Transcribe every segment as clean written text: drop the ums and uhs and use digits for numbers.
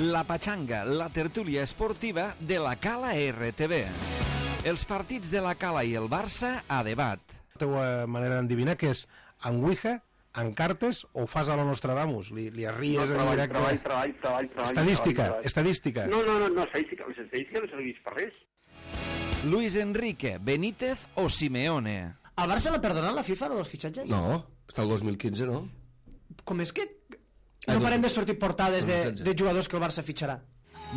La Pachanga, la tertúlia esportiva de la Cala RTV. Els partits de la Cala i el Barça a debat. La teva manera d'endevinar que és en Ouija, en cartes o fas a lo Nostradamus? Li arries en directe? Treball. Estadística. No, estadística. Les estadístiques no serveix per res. Luis Enrique, Benítez o Simeone. Al Barça l'ha perdonat la FIFA, dels fitxatges? No, està el 2015, no? Com és que no parem de sortir portades de jugadors que el Barça fitxarà?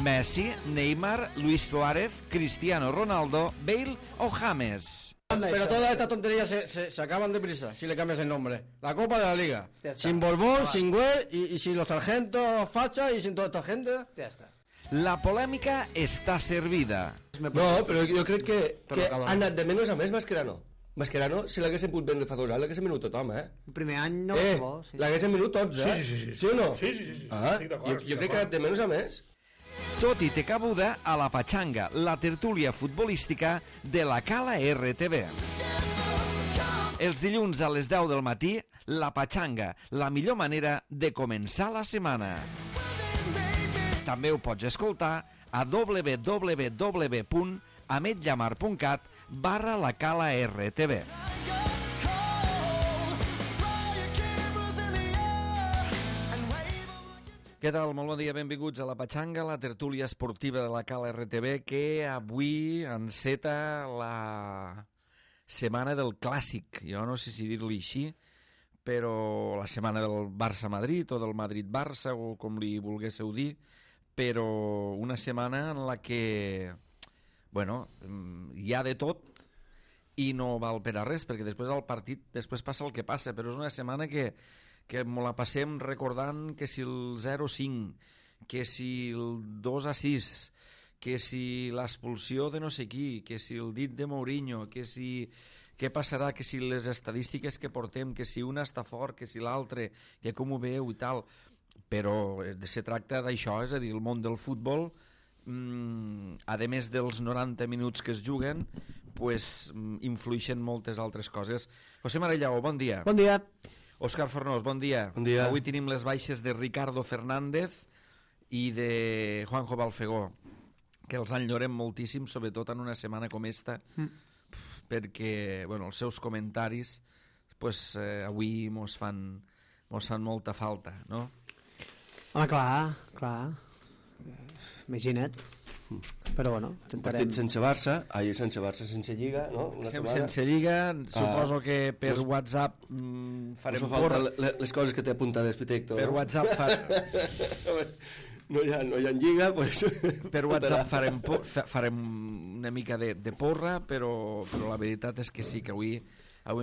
Messi, Neymar, Luis Suárez, Cristiano Ronaldo, Bale o James. Pero todas estas tonterías se acaban deprisa si le cambias el nombre. La Copa de la Liga. Sin Borbón, sin Güell y sin los sargentos Facha y sin toda esta gente. Ja està. La polèmica està servida. No, però jo crec que ha anat de menys a més Mascherano. Mascherano, si l'haguessin pogut vendre fa 2 anys, l'haguessin venut tothom, El primer any no bo, sí. L'haguessin venut tots, Sí. Sí o no? Sí. Estic d'acord. Jo crec que ha anat de menys a més. Tot i té cabuda a la Pachanga, la tertúlia futbolística de la Cala RTV. Els dilluns a les 10 del matí, la Pachanga, la millor manera de començar la setmana. També ho pots escoltar a www.ametllamar.cat/la Cala RTV. Què tal? Molt bon dia, benvinguts a la Pachanga, la tertúlia esportiva de la Cala RTV, que avui enceta la setmana del clàssic. Jo no sé si dir-li així, però la setmana del Barça-Madrid o del Madrid-Barça, o com li volguéssiu dir, però una setmana en la que, bueno, hi ha de tot i no val per a res, perquè després del partit després passa el que passa, però és una setmana que me la passem recordant que si el 0-5, que si el 2-6, que si l'expulsió de no sé qui, que si el dit de Mourinho, que si què passarà, que si les estadístiques que portem, que si una està fort, que si l'altre, que com ho veu i tal. Però se tracta d'això, és a dir, el món del futbol, a més dels 90 minuts que es juguen, pues, influeixen moltes altres coses. José Marellao, bon dia. Bon dia. Òscar Fornós, bon dia. Bon dia. Avui tenim les baixes de Ricardo Fernández i de Juanjo Balfegó, que els enyorem moltíssim, sobretot en una setmana com esta, perquè bueno, els seus comentaris pues, avui mos fan molta falta, no? Home, clar. Imagina't. Però bueno, Un intentarem... partit sense Barça, sense Lliga, no? Estem sense Lliga, suposo que per pues, WhatsApp farem porra. Les coses que té apuntades, Pitecto. Per WhatsApp no hi ha Lliga, pues... per WhatsApp farem una mica de porra, però la veritat és que sí, que avui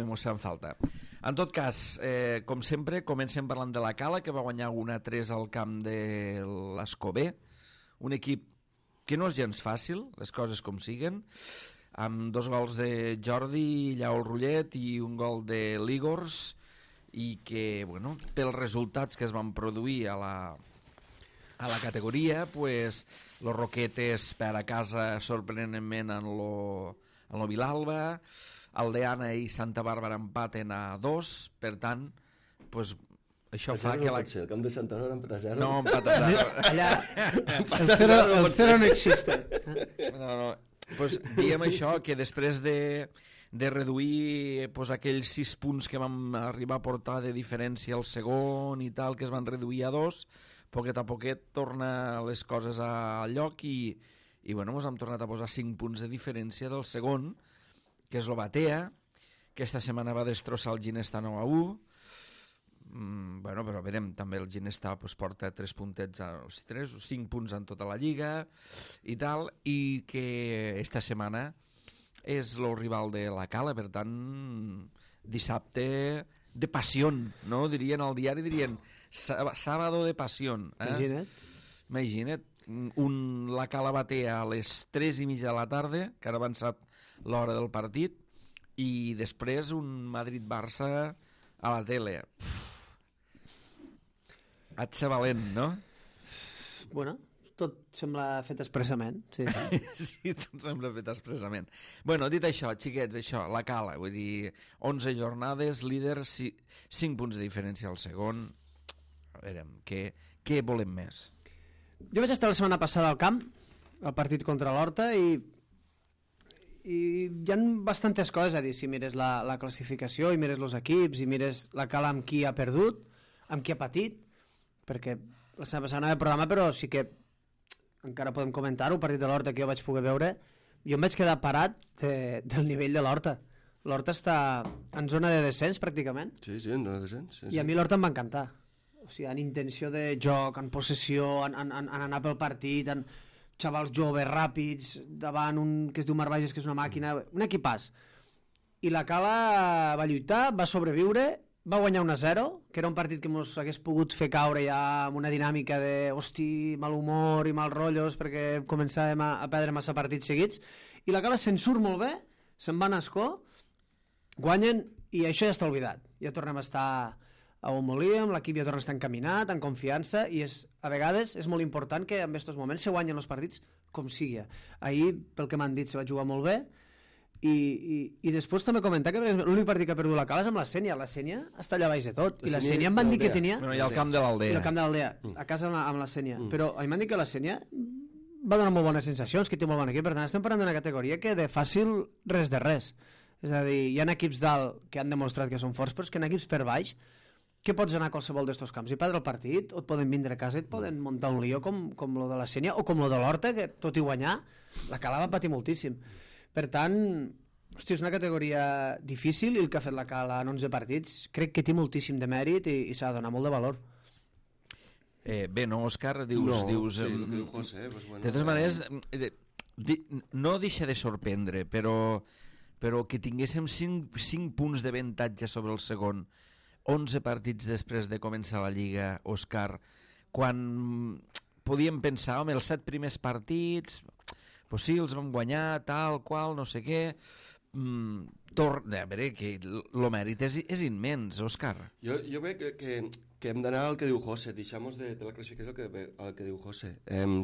mos fan falta. En tot cas, com sempre, comencem parlant de la Cala, que va guanyar 1-3 al camp de l'Escobé, un equip que no és gens fàcil, les coses com siguen, amb 2 gols de Jordi Lleó Rullet i un gol de Ligors, i que, bueno, pels resultats que es van produir a la categoria, pues, los Roquetes per a casa sorprenentment en lo Vilalba, Aldeana i Santa Bàrbara empaten a 2, per tant, pues, això fa que el camp de Santa Bàrbara empat a 0. No, empat a 0. Allà, el 0 no existe. No. Pues, diem això, que després de reduir pues, aquells 6 punts que vam arribar a portar de diferència al segon i tal, que es van reduir a 2, poquet a poquet torna les coses al lloc i bueno, ens hem tornat a posar 5 punts de diferència del segon, que és l'Obatea, que esta setmana va destrossar el Ginesta 9-1. Bueno, però verem, també el Ginesta pues, porta 3 puntets, 3 o 5 punts en tota la Lliga i tal, i que esta setmana és el rival de la Cala, per tant, dissabte de passió, no? Dirien al diari, dirien sábado de passió. Imagina't. La Cala batea a les 3:30 de la tarda, que ara ha avançat l'hora del partit, i després un Madrid-Barça a la tele. Haig de ser valent, no? Bueno, tot sembla fet expressament. Sí, sí, tot sembla fet expressament. Bueno, dit això, xiquets, això, la Cala, vull dir, 11 jornades, líder, 5 punts de diferència al segon. A veure, què volem més? Jo vaig estar la setmana passada al camp, al partit contra l'Horta, i hi ha bastantes coses a dir. Si mires la classificació, i mires els equips, i mires la Cala amb qui ha perdut, amb qui ha patit, perquè la setmana passada no hi ha programa, però sí que encara podem comentar-ho, el partit de l'Horta que jo vaig poder veure, jo em vaig quedar parat del nivell de l'Horta. L'Horta està en zona de descens, pràcticament. Sí, en zona de descens. Sí, I a mi l'Horta em va encantar. O sigui, en intenció de joc, en possessió, en anar pel partit, en xavals joves, ràpids, davant un que es diu Marbages, que és una màquina, un equipàs. I la Cala va lluitar, va sobreviure, va guanyar 1-0, que era un partit que ens hagués pogut fer caure ja amb una dinàmica de hosti, mal humor i mal rotllos, perquè començàvem a perdre massa partits seguits, i la Cala se'n surt molt bé, se'n va a Ascó, guanyen, i això ja està oblidat. Ja tornem a estar a on volíem, l'equip ja torna a estar encaminat, en confiança, i a vegades és molt important que en aquests moments se guanyen els partits com sigui. Ahir, pel que m'han dit, se va jugar molt bé, i després també comentar que l'únic partit que ha perdut la Cala és amb la Sénia. La Sénia està allà baix de tot, i la Sénia em van dir que tenia... Bueno, i al camp de l'Aldea. I al camp de l'Aldea, a casa amb la Sénia. Però a mi m'han dit que la Sénia va donar molt bones sensacions, que té molt bon equip. Per tant, estem parlant d'una categoria que de fàcil res de res. És a dir, hi ha equips dalt que han demostrat que són forts, però és que en equips per baix que pots anar a qualsevol d'estos camps i perdre el partit, o et poden vindre a casa i et poden muntar un lío com lo de la Sénia o com lo de l'Horta, que tot i guanyar la Cala va patir moltíssim. Per tant, hosti, és una categoria difícil, i el que ha fet la Cala en 11 partits crec que té moltíssim de mèrit i s'ha de donar molt de valor. Bé, no, Òscar, dius... No, sí, el que diu José, pues bueno... De totes maneres, no deixa de sorprendre, però que tinguéssim 5 punts d'avantatge sobre el segon, 11 partits després de començar la Lliga, Òscar, quan podíem pensar, home, els 7 primers partits, pues sí, els vam guanyar, tal, qual, no sé què... a veure, que el mèrit és immens, Òscar. Jo veig que hem d'anar al que diu José, deixamos de la classificació al que diu José.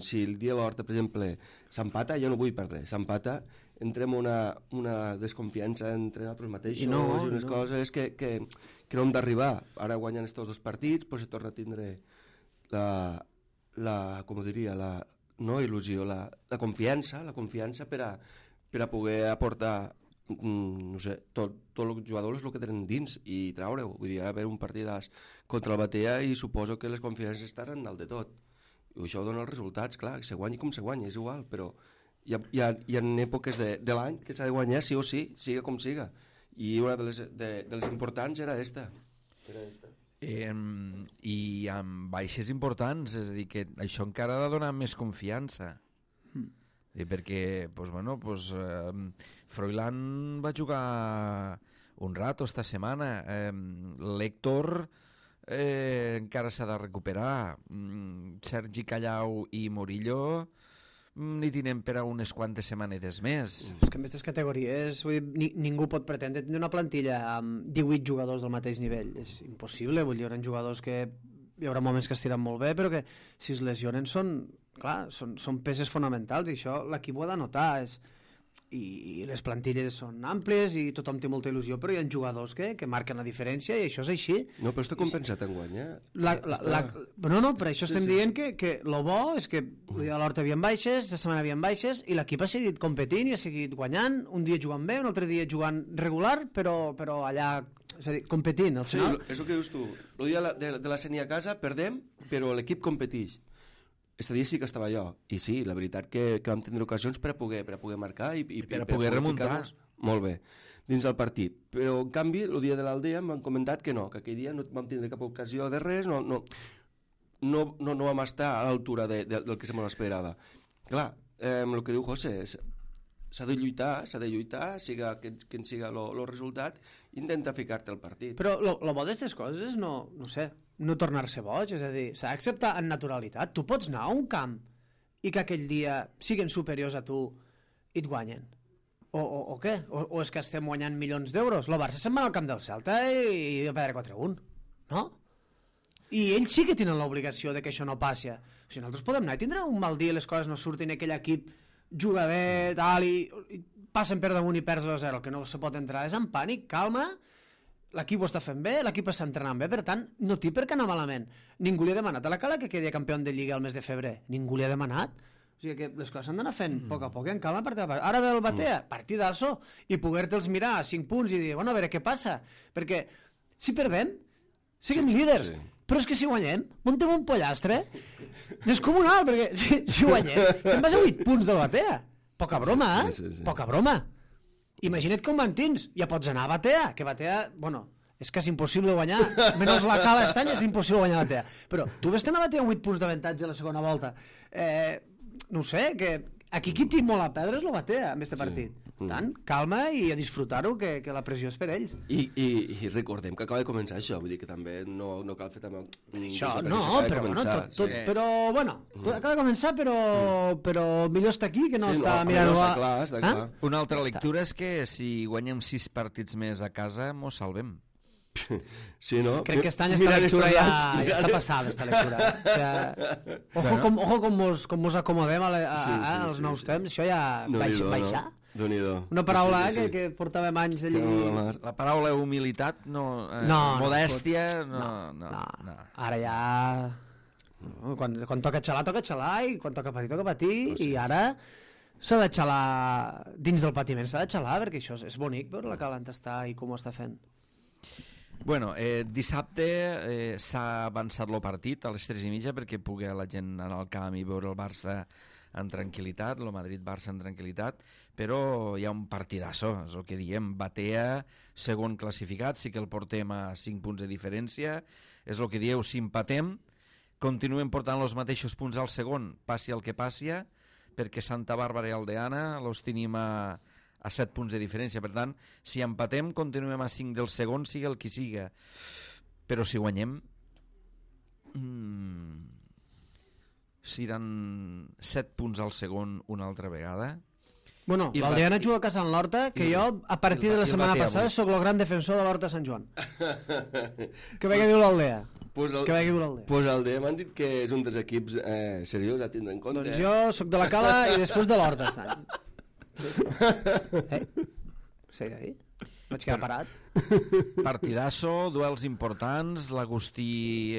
Si el dia de l'Horta, per exemple, s'empata, jo no vull perdre, s'empata, entrem una desconfiança entre nosaltres mateixos i unes coses que no hem d'arribar. Ara guanyen estos 2 partits, pues se torna a tindre com ho diria, no il·lusió, la confiança per a poder aportar no sé, tots els jugadors el que tenen dins i treure-ho. Vull dir, haver un partidàs contra el Batea i suposo que les confiances estaran dalt de tot. I això dona els resultats, clar, que se guanyi com se guanyi, és igual, però hi ha èpoques de l'any que s'ha de guanyar sí o sí, siga com siga. I una de les importants era esta. I amb baixes importants, és a dir, que això encara ha de donar més confiança. Perquè Froilán va jugar un rato esta setmana, l'Héctor encara s'ha de recuperar, Sergi Callau i Murillo n'hi tenen per a unes quantes setmanetes més. És que en aquestes categories ningú pot pretendre tenir una plantilla amb 18 jugadors del mateix nivell, és impossible. Vull dir, hi haurà jugadors que hi haurà moments que estiran molt bé, però que si es lesionen són peces fonamentals, i això l'equip ho ha de notar. I les plantilles són àmplies i tothom té molta il·lusió, però hi ha jugadors que marquen la diferència, i això és així. No, però està compensat en guanyar. No, per això estem dient que el bo és que a l'Horta havien baixes, la setmana havien baixes, i l'equip ha seguit competint i ha seguit guanyant, un dia jugant bé, un altre dia jugant regular, però allà, és a dir, competint al final. Sí, és el que dius tu, el dia de la Sénia a casa perdem, però l'equip competeix. Este dia sí que estava jo, i sí, la veritat que vam tindre ocasions per a poder marcar i per a poder remuntar. Molt bé, dins del partit. Però, en canvi, el dia de l'Aldea m'han comentat que no, que aquell dia no vam tindre cap ocasió de res, no vam estar a l'altura del que se m'esperava. Clar, el que diu José, s'ha de lluitar, siga quin siga el resultat, intenta ficar-te al partit. Però el bo d'aquestes coses és no tornar-se boig, és a dir, s'ha d'acceptar en naturalitat. Tu pots anar a un camp i que aquell dia siguin superiors a tu i et guanyen. O què? O és que estem guanyant milions d'euros? El Barça se'n va al camp del Celta i va perdre 4-1, no? I ells sí que tenen l'obligació de que això no passi. O sigui, nosaltres podem anar i tindre un mal dia, les coses no surtin, aquell equip juga bé, tal, i passen per damunt i perds 2-0. El que no se pot entrar és en pànic, calma. l'equip ho està fent bé, l'equip està entrenant bé, per tant, no té per què anar malament. Ningú li ha demanat a la Cala que quedi campió de Lliga el mes de febrer. Ningú li ha demanat. O sigui que les coses s'han d'anar fent a poc a poc i en calma. Ara ve el Batea, partidazo, i poder-te'ls mirar a 5 punts i dir, bueno, a veure què passa. Perquè si perdem, siguem líders. Però és que si guanyem, muntem un pollastre descomunal, perquè si guanyem, te'n vas a 8 punts del Batea. Poca broma, Poca broma. Imagina't com mantins, ja pots anar a Batea, que Batea, bueno, és quasi impossible guanyar, menys la Cala estany és impossible guanyar Batea. Però tu ves a Batea amb 8 punts d'avantatge a la segona volta. No ho sé, que aquí qui té molt a perdre és el Batea en aquest partit. Tant, calma i a disfrutar-ho, que la pressió és per ells. I recordem que acaba de començar això, vull dir que també no cal fer també... Això, no, però bueno, acaba de començar, però millor estar aquí que no estar mirant... Està clar. Una altra lectura és que si guanyem 6 partits més a casa, mos salvem. Sí, no? Crec que aquest any esta lectura ja està passada, esta lectura. Ojo com mos acomodem als nous temps, això ja baixa. Una paraula que portàvem anys allí... La paraula humilitat, modèstia, no. Ara ja... Quan toca xalar, i quan toca patir, i ara s'ha de xalar dins del patiment, s'ha de xalar, perquè això és bonic veure la Cala on està i com ho està fent. Bueno, dissabte s'ha avançat el partit a les 3:30 perquè pugui la gent anar al camp i veure el Barça en tranquil·litat, el Madrid-Barça en tranquil·litat, però hi ha un partidasso, és el que diem, Batea, segon classificat, sí que el portem a 5 punts de diferència, és el que dieu, si empatem, continuem portant els mateixos punts al segon, passi el que passi, perquè Santa Bàrbara i Aldeana els tenim a 7 punts de diferència. Per tant, si empatem, continuem a 5 del segon, sigui el que siga. Però si guanyem, seran 7 punts al segon una altra vegada. Bueno, l'Aldeana juga a casa en l'Horta, que jo, a partir de la setmana passada, sóc el gran defensor de l'Horta Sant Joan. Que bé que diu l'Aldea. Pues l'Aldea m'han dit que és un dels equips seriós a tindre en compte. Doncs jo sóc de la Cala i després de l'Horta aquest any. S'ha de dir? Vaig quedar parat. Partidasso, duels importants, l'Agustí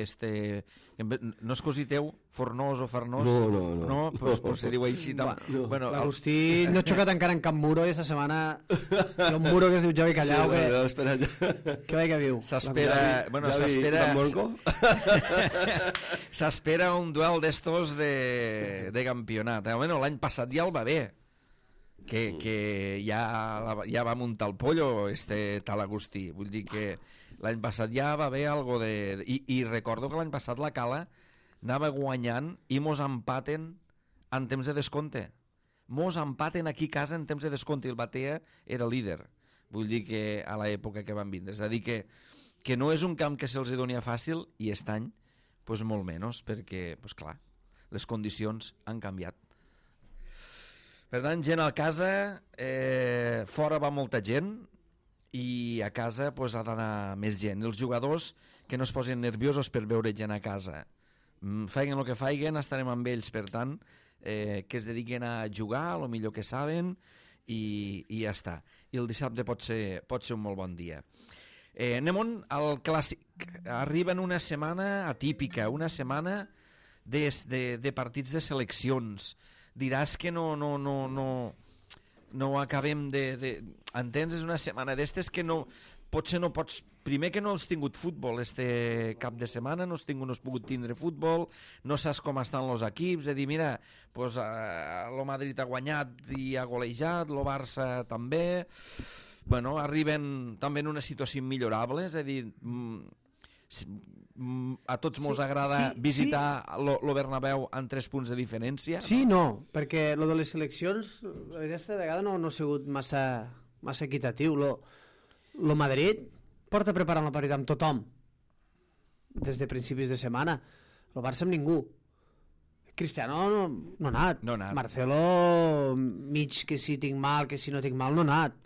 no és cosí teu, Fornós o Farnós? No. Pues se diu així. Bueno, l'Agustí no ha xocat encara en cap muro i aquesta setmana hi ha un muro que es diu Javi Callau que bé que viu. S'espera un duel d'estos de campionat. Bueno, l'any passat ja el va bé, que ja va muntar el pollo tal Agustí, vull dir que l'any passat ja va haver algo de... I recordo que l'any passat la Cala anava guanyant i mos empaten en temps de descompte. Mos empaten aquí a casa en temps de descompte i el Batea era líder. Vull dir que a l'època que van vindre. És a dir que no és un camp que se'ls doni fàcil i aquest any pues, molt menys, perquè, pues, clar, les condicions han canviat. Per tant, gent a casa, fora va molta gent i a casa pues, ha d'anar més gent. Els jugadors que no es posin nerviosos per veure gent a casa. Faiguen el que faiguen, estarem amb ells, per tant, que es dediquen a jugar, el millor que saben, i ja està. I el dissabte pot ser un molt bon dia. Anem al clàssic. Arriba en una setmana atípica, una setmana de partits de seleccions. Diràs que no acabem de... Entens? És una setmana d'estes que potser no pots... Primer que no has tingut futbol este cap de setmana, no has pogut tindre futbol, no saps com estan els equips, de dir, mira, pues, el Madrid ha guanyat i ha golejat, el Barça també... Bueno, arriben també en una situació immillorable, és a dir... a tots mos agrada visitar el Bernabéu amb 3 punts de diferència? Sí, no, perquè lo de les seleccions aquesta vegada no ha sigut massa equitatiu. Lo Madrid porta preparant el partit amb tothom des de principis de setmana. El Barça amb ningú. Cristiano no ha anat. Marcelo, mig que si tinc mal, que si no tinc mal, no ha anat.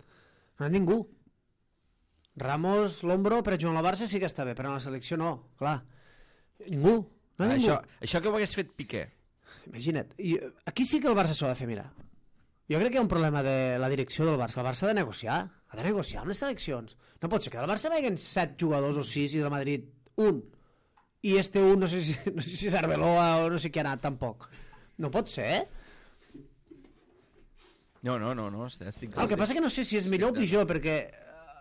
No ha anat ningú. Ramos, l'Ombro, per jugar a la Barça sí que està bé, però a la selecció no, clar. Ningú. No això que ho hagués fet Piqué. Imagina't. Aquí sí que el Barça s'ho ha de fer mirar. Jo crec que hi ha un problema de la direcció del Barça. El Barça ha de negociar amb les seleccions. No pot ser que del Barça veguen 7 jugadors o 6 i del Madrid un. I un, no sé si és Arbeloa o no sé qui ha anat, tampoc. No pot ser, eh? No, estic... El que passa que no sé si és millor o pitjor, perquè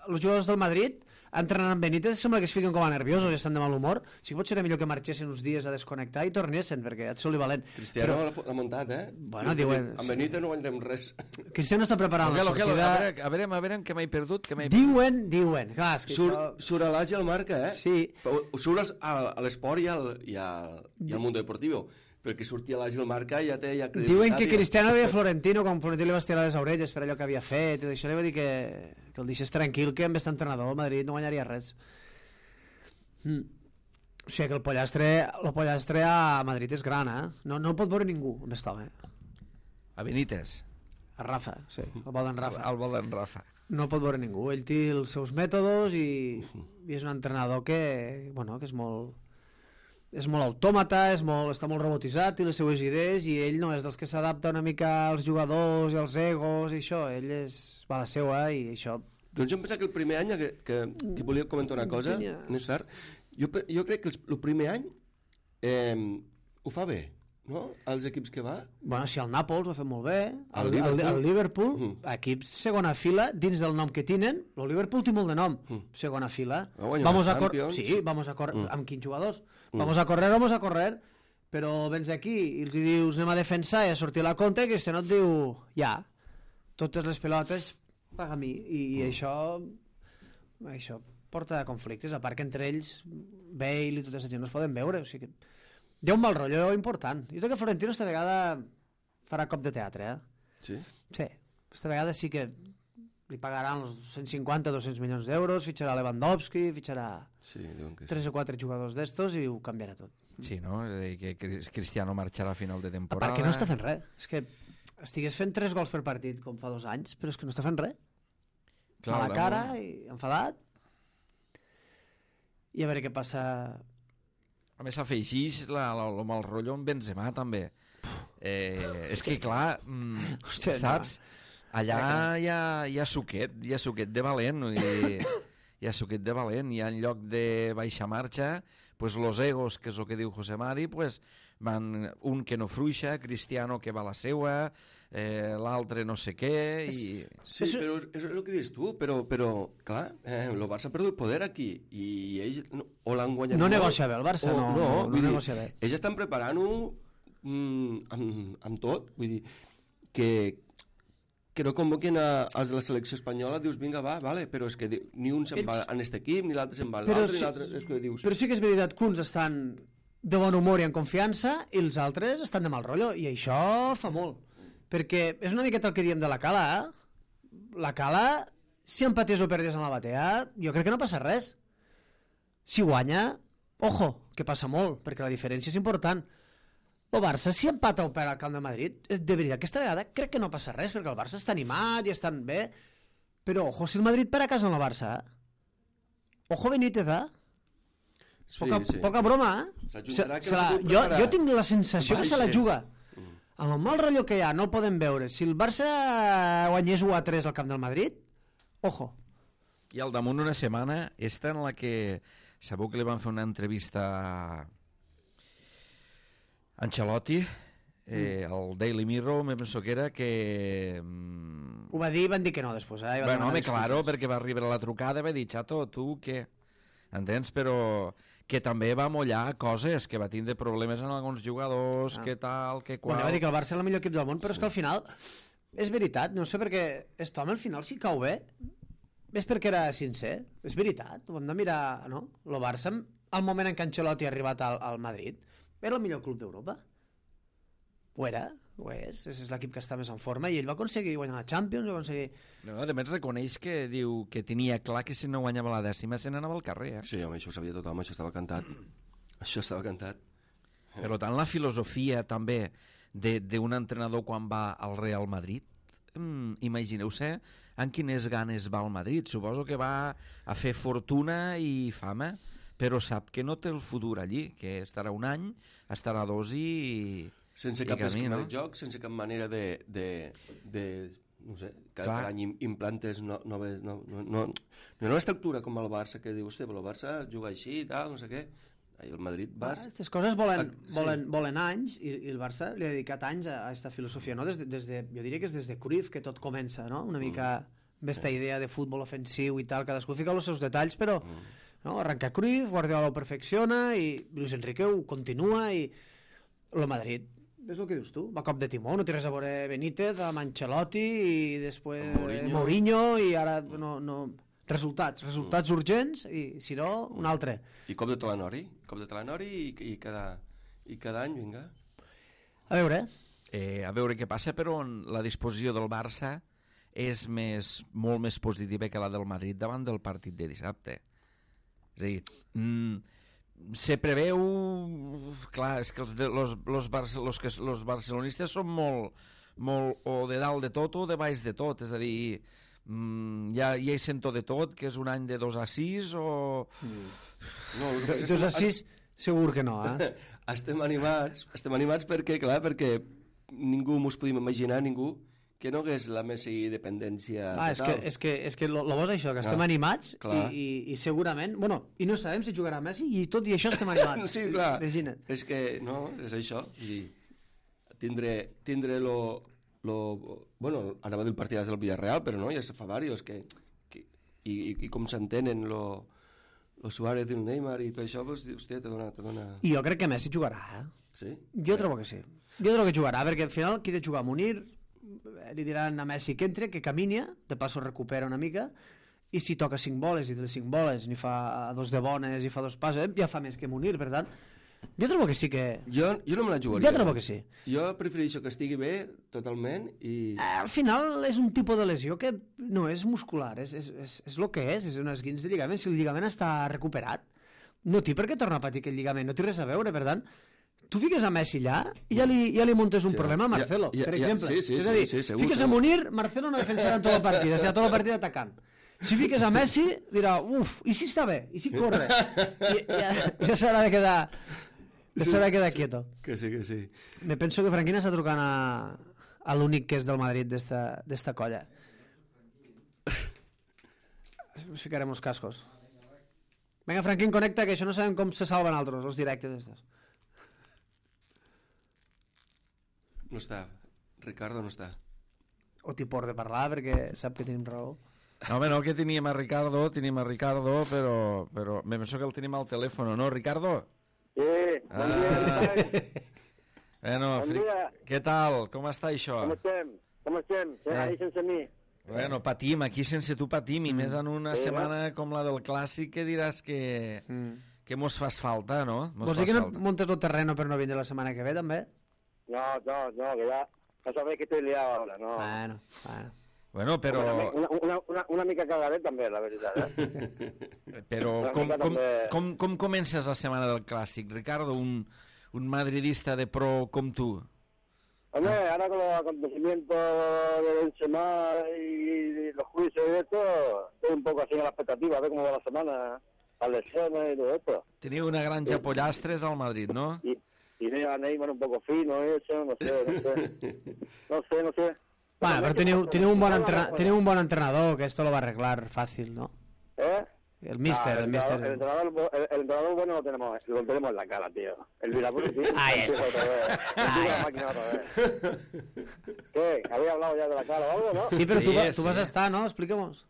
els jugadors del Madrid entrenant amb Benítez sembla que es fiquen com a nerviosos i estan de mal humor. Sí que pot ser millor que marxessin uns dies a desconnectar i tornessin, perquè et soli valent. Cristiano l'ha muntat, eh? Bueno, diuen... Amb Benítez no guanyarem res. Cristiano està preparant la sortida... A veure, que m'he perdut. Diuen. Clar, és que Surt a l'Àsia al marca, eh? Sí. Surt a l'esport i al Mundo Deportivo. Perquè sortia a l'Àsia al marca i ja té credibilitat. Diuen que Cristiano deia Florentino, quan Florentino li va estirar les orelles per allò que havia fet, i això li va dir que el deixés tranquil, que amb aquest entrenador el Madrid no guanyaria res. O sigui que el pollastre a Madrid és gran, eh? No el pot veure ningú amb aquest home. A Benítez. A Rafa, sí, el vol d'en Rafa. El vol d'en Rafa. No el pot veure ningú. Ell té els seus mètodes i és un entrenador que és molt autòmata, està molt robotitzat i les seues idees, i ell no és dels que s'adapta una mica als jugadors i als egos i això, ell va a la seua i això... Doncs jo em pensava que el primer any, que volia comentar una cosa més tard, jo crec que el primer any ho fa bé, no? Els equips que va... Bueno, si el Nàpols ho ha fet molt bé, el Liverpool, equips segona fila, dins del nom que tenen, el Liverpool té molt de nom, segona fila. Vamos a córrer, amb quins jugadors? Vamos a correr, però vens aquí i els dius anem a defensar i a sortir a la contra, i Cristiano et diu totes les pilotes paga a mi, i això porta conflictes, a part que entre ells Bale i tota aquesta gent no es poden veure, o sigui que hi ha un mal rotllo important. Jo crec que Florentino esta vegada farà cop de teatre, Sí? Sí, esta vegada sí que li pagaran els 150-200 milions d'euros, fitxarà Lewandowski, fitxarà 3 o 4 jugadors d'estos i ho canviarà tot. Sí, no? Que Cristiano marxarà a final de temporada. Perquè no està fent res. És que estigués fent 3 gols per partit com fa 2 anys, però és que no està fent res. Clar, a la cara i enfadat. I a veure què passa... A més, afegeix el mal rotllo amb Benzema, també. És que, clar, saps... Allà hi ha suquet de valent, hi ha suquet de valent, i en lloc de baixa marxa, pues los egos, que és el que diu José Mari, pues van un que no fruixa, Cristiano que va a la seua, l'altre no sé què... Sí, però és el que dius tu, però clar, el Barça ha perdut poder aquí, i ells o l'han guanyat... No negocia bé, el Barça no negocia bé. Ells estan preparant-ho amb tot, vull dir, que no convoquen els de la selecció espanyola, dius, vinga, vale, però és que ni un se'n va en aquest equip, ni l'altre se'n va en l'altre, ni l'altre... Però sí que és veritat que uns estan de bon humor i en confiança i els altres estan de mal rotllo, i això fa molt. Perquè és una miqueta el que diem de la Cala, La Cala, si empatés o perdés en la batea, jo crec que no passa res. Si guanya, ojo, que passa molt, perquè la diferència és important. El Barça, si empata o perd al Camp de Madrid, de veritat, aquesta vegada crec que no passa res, perquè el Barça està animat i estan bé, però ojo, si el Madrid per a casa en el Barça, ojo Benítez, poca broma, jo tinc la sensació que se la juga. En el mal rotllo que hi ha, no el podem veure. Si el Barça guanyés 1-3 al Camp del Madrid, ojo. I al damunt una setmana, esta en la que sabeu que li van fer una entrevista a Ancelotti, el Daily Mirror, me penso que era que... Ho va dir, van dir que no després. Bueno, home, claro, perquè va arribar la trucada i va dir, xato, tu què? Entens? Però que també va mollar coses, que va tindre problemes en alguns jugadors, que tal, que qual... Bueno, va dir que el Barça és el millor equip del món, però és que al final, és veritat, no sé perquè aquest home al final si cau bé, és perquè era sincer, és veritat, ho hem de mirar, no? El Barça, al moment en què Ancelotti ha arribat al Madrid, era el millor club d'Europa. Ho era, ho és l'equip que està més en forma, i ell va aconseguir guanyar la Champions, va aconseguir... No, a més reconeix que diu que tenia clar que si no guanyava la 10ª se n'anava al carrer. Sí, home, això ho sabia tothom, això estava cantat. Això estava cantat. Per tant, la filosofia també d'un entrenador quan va al Real Madrid, imagineu-se en quines ganes va al Madrid. Suposo que va a fer fortuna i fama, però sap que no té el futur allí, que estarà un any, estarà 2 i sense I cap camí, esquema no? de joc, sense cap manera de no sé, cada any implantes noves, no estructura com el Barça, que diu, hòstia, però el Barça juga així i tal, no sé què. I el Madrid vas... Aquestes coses volen anys i el Barça li ha dedicat anys a aquesta filosofia, no? Jo diria que és des de Cruyff que tot comença, no? Una mica aquesta idea de futbol ofensiu i tal, cadascú fica els seus detalls, però no? Arrenca Cruyff, Guardiola ho perfecciona i Luis Enrique ho continua i el Madrid, és el que dius tu, va cop de timó, no té res a veure Benítez amb Ancelotti i després Mourinho i ara no... Resultats urgents i, si no, un altre. I cop de Talanori i cada any, vinga. A veure. A veure què passa, però la disposició del Barça és molt més positiva que la del Madrid davant del partit de dissabte. És a dir, se preveu... Clar, és que els barcelonistes són molt o de dalt de tot o de baix de tot, és a dir... ja hi sento de tot, que és un any de 2-6 o... No, 2-6 segur que no, eh? Estem animats perquè, clar, perquè ningú mos podíem imaginar, ningú, que no hagués la Messi dependència total. És que lo bo és això, que estem animats i segurament... Bueno, i no sabem si jugarà Messi i tot i això estem animats. Sí, clar. Imagina't. És que, no, és això. Vull dir, tindre bueno, anava del partidàs del Villarreal, però no, ja se fa diversos i com s'entenen lo Suárez i el Neymar i tot això, pues, hòstia, te dona... I jo crec que Messi jugarà, eh? Sí? Jo trobo que sí. Jo trobo que jugarà, perquè al final qui ha de jugar? Munir, li diran a Messi que entre, que camini, de passo recupera una mica, i si toca 5 boles i de les 5 boles n'hi fa 2 de bones i fa 2 passes, ja fa més que Munir, per tant, jo trobo que sí que... Jo no me la jugaria. Jo trobo que sí. Jo prefereixo que estigui bé totalment i... Al final és un tipus de lesió que no és muscular, és el que és un esguins de lligament. Si el lligament està recuperat, no té per què tornar a patir aquest lligament, no té res a veure, per tant, tu fiques a Messi allà i ja li muntes un problema a Marcelo, per exemple. Sí, és a dir, segur, fiques a Munir, Marcelo no defensarà en tota la partida, serà tota la partida atacant. Si fiques a Messi, dirà, uf, i si està bé, i si corre? Ja s'haurà de quedar... s'haurà de quedar quieto. Que sí. Me penso que Franquina està trucant a l'únic que és del Madrid d'esta colla. Ens ficarem els cascos. Vinga, Franquín, connecta, que això no sabem com se salven altres, els directes estos. No està. Ricardo no està. O t'hi por de parlar perquè sap que tenim raó. No, home, no, que tenim a Ricardo, però me penso que el tenim al telèfon, no, Ricardo? Sí, bon dia. Bueno, Bon dia. què tal? Com està això? Com estem? Ahí sense mi. Bueno, patim, aquí sense tu patim, i més en una setmana com la del Clàssic que diràs que mos fas falta, no? Vols dir que no montes el terreno per no vindre la setmana que ve, també? No, que ya sabéis que estoy liado ahora, no. Bueno. Bueno, però... Una mica cagadet també, la veritat, eh? Però com comences la setmana del Clàssic, Ricardo, un madridista de pro com tu? Hombre, ahora con los acontecimientos de Benzema y los juicios y esto, estoy un poco así en la expectativa, a ver cómo va la semana, las lesiones y todo esto. Teniu una granja pollastres al Madrid, ¿no? Y veo a Neymar un poco fino, eso, no sé. Bueno, pero tiene un buen entrenador que esto lo va a arreglar fácil, ¿no? ¿Eh? El mister. El entrenador bueno lo tenemos en la cara, tío. El Vilapuro, tío. Ahí está. La máquina otra vez. ¿Qué? ¿Había hablado ya de la cara o algo, no? Sí, pero tú vas a estar, ¿no? Expliquemos.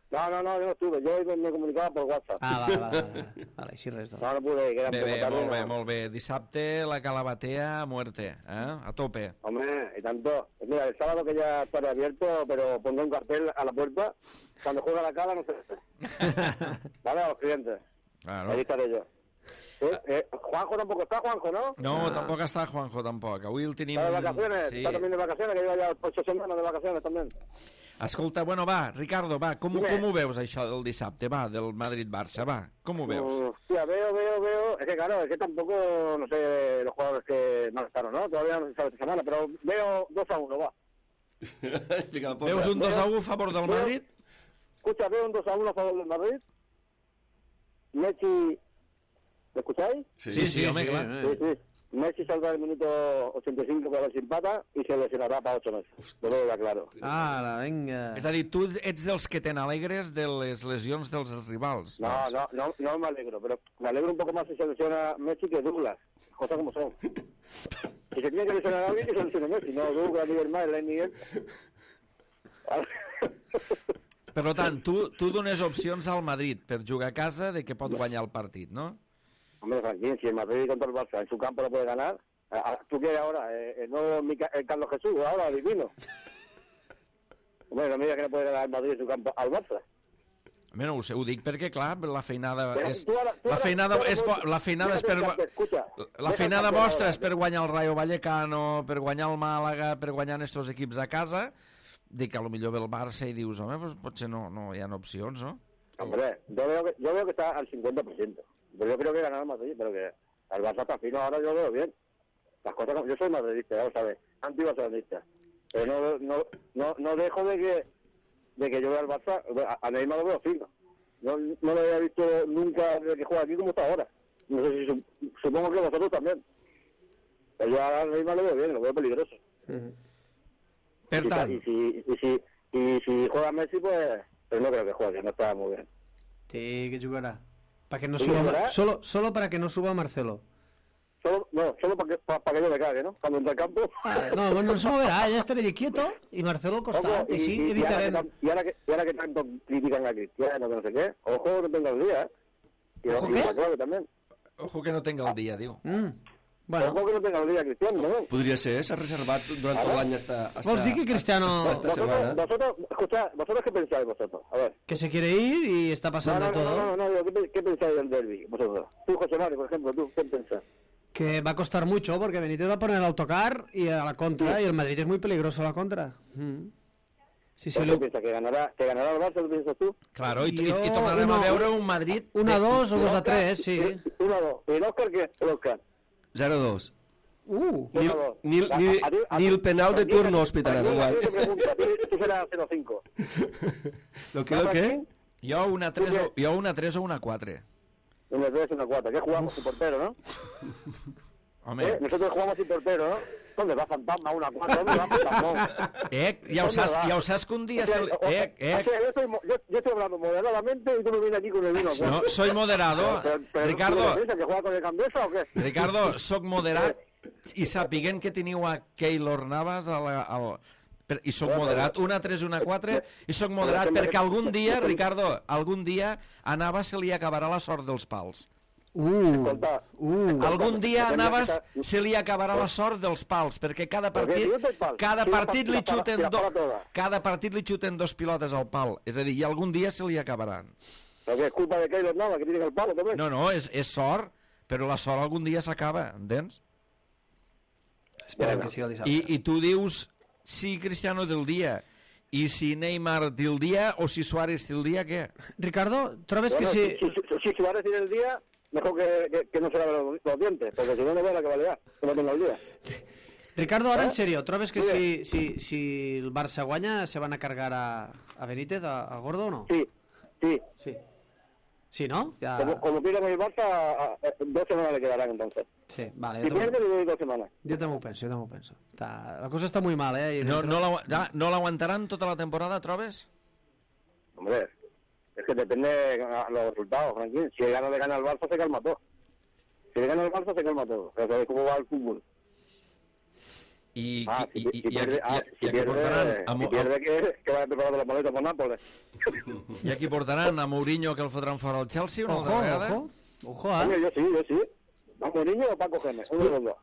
No, yo no estuve. Yo me comunicaba por WhatsApp. Vale, així res. No pude. Molt bé. Dissabte la calabatea a muerte, ¿eh? A tope. Hombre, y tanto. Mira, el sábado que ya estaré abierto, pero pondré un cartel a la puerta. Cuando juega la cala, no sé. Vale, a los clientes. Claro. Ahí estaré yo. Juanjo tampoco está, Juanjo, ¿no? No, tampoc està Juanjo, tampoc. Avui el tenim... ¿Está de vacaciones? Sí. ¿Está también de vacaciones? Que lleva ya 8 semanas de vacaciones también. Escolta, bueno, va, Ricardo, va, com ho veus això del dissabte, va, del Madrid-Barça, va, com ho veus? Hostia, veo. Es que claro, es que tampoco, no sé, los jugadores que no estaron, ¿no? Todavía no se sabe esta semana, pero veo 2-1, va. Veus un 2-1 a favor del Madrid? Escucha, veo un 2-1 a favor del Madrid. Messi... ¿Me escucháis? Sí, home, clar. Sí. Messi saldrá el minuto 85 para ver si empata y se lesionará para 8 meses. Te lo digo claro. Ara, vinga. És a dir, tu ets dels que te n'alegres de les lesions dels rivals. No me alegro, pero me alegro un poco más si se lesiona Messi que Douglas. Cosas como son. Si se tiene que lesionar a alguien, que se lesione Messi. No, Douglas, Miguel Mael, Miguel. Per tant, tu dones opcions al Madrid per jugar a casa de que pot guanyar el partit, no? Hombre, Franquín, si el Madrid contra el Barça en su campo lo puede ganar, ¿tú qué ahora? ¿No Carlos Jesús, ahora, divino? Hombre, no me digas que no puede ganar el Madrid en su campo al Barça. A mi no ho sé, ho dic perquè, clar, la feinada Però és... tu ara- La feinada és per... Escucha, La feinada vostra és per guanyar el Rayo Vallecano, per guanyar el Màlaga, per guanyar estos equips a casa, dic que potser ve el Barça i dius, home, pues potser no hi ha opcions, no? Hombre, yo veo que está al 50%. Pero yo creo que ganará el Madrid, pero que el Barça está fino ahora, yo lo veo bien. Las cosas, yo soy madridista, ya lo sabes, anti-barcelonista. Pero no dejo de que yo vea al Barça, a Neymar lo veo fino. No lo había visto nunca desde que juega aquí como está ahora. No sé si supongo que vosotros también. Pero yo a Neymar lo veo bien, lo veo peligroso. Per tant, Y si juega Messi, pues no creo que juegue, no está muy bien. Sí, que jugarà. Para que no ¿Sí, suba... jugará? Solo para que no suba Marcelo. Solo para que yo me cague, ¿no? Cuando entra al campo. No, bueno, no se moverá, ya estaré quieto y Marcelo al costat, y sí, evitarem... Y ahora que tanto critican a Cristiano, que no sé qué, ojo que tenga el día, ¿eh? Y ¿Ojo y qué? la clave también. ojo que no tenga el dia, diu. Bueno, Ojo que no tenga el día Cristiano, ¿no? Podria ser, s'ha reservat durant tot l'any hasta vols dir que Cristiano... esta setmana. ¿Vosotros qué pensáis vosotros? A ver. Que se quiere ir y está pasando todo. No, ¿qué pensáis del derbi vosotros? Tú, José Mario, por ejemplo, ¿tú qué pensás? Que va a costar mucho porque Benítez va a poner el autocar y a la contra, y el Madrid es muy peligroso a la contra. Si se ¿Qué lo... piensas? ¿Que ganará el Barça, lo piensas tú? Claro, i Jo, tornarem a veure un Madrid... 1-2 o 2-3, sí. 1-2. ¿Y el Òscar qué? El Òscar. 0-2. Ni el penal de turno hospitaran, igual. Tú serás 0-5. Lo que? Jo una 3 o una 4. Una 3, una 4. ¿Qué jugamos sin portero, no? Home, Nosotros jugamos sin portero, ¿no? ¿Dónde va Fantasma? Una 4. ¿Dónde va Fantasma? ja ho saps que un dia... Yo estoy hablando moderadamente y tú me vienes aquí con el vino. No, soy moderado. Ricardo, ¿Que juega con el Candesa o qué? Ricardo, soc moderat i sapiguent que teniu a Keylor Navas i soc moderat, una 3, una 4 i soc moderat perquè algun dia, Ricardo, algun dia a Navas se li acabarà la sort dels pals. Algun dia a Navas se li acabarà la sort dels pals perquè cada partit li xuten 2 pilotes al pal, és a dir, i algun dia se li acabaran. Pero que es culpa de Keylor Navas, que tiene el palo también. No, és sort, però la sort algun dia s'acaba, entens? Esperem que sigui el dissabte. I tu dius si Cristiano té el dia i si Neymar té el dia o si Suárez té el dia, què? Ricardo, trobes que si... Si Suárez tiene el día, mejor que no se lave los dientes, porque si no, no ve la que va a liar, que no tenga el día. Ricardo, ahora en serio, trobes que si el Barça guanya se van a cargar a Benítez, al Gordo o no? Sí. Sí, ¿no? Ya... Como pierda con el Barça, 2 semanas le quedarán entonces. Sí, vale. Si pierde, le doy 2 semanas. Yo también penso. La cosa está muy mal, ¿eh? No l'aguantaran tota la temporada, trobes? Hombre, es que depende de los resultados, Franquín. Si le gana al Barça, se calma todo. Si le gana al Barça, se calma todo. Pero sabéis cómo va el fútbol. I Si aquí portaran pierde, que vaya preparado la maleta por Nápoles. i aquí portaran a Mourinho que el fotran fora al Chelsea una altra vegada. Ojo, Hombre, yo sí. ¿Vamos niño o Paco Gémez? Uno de los dos.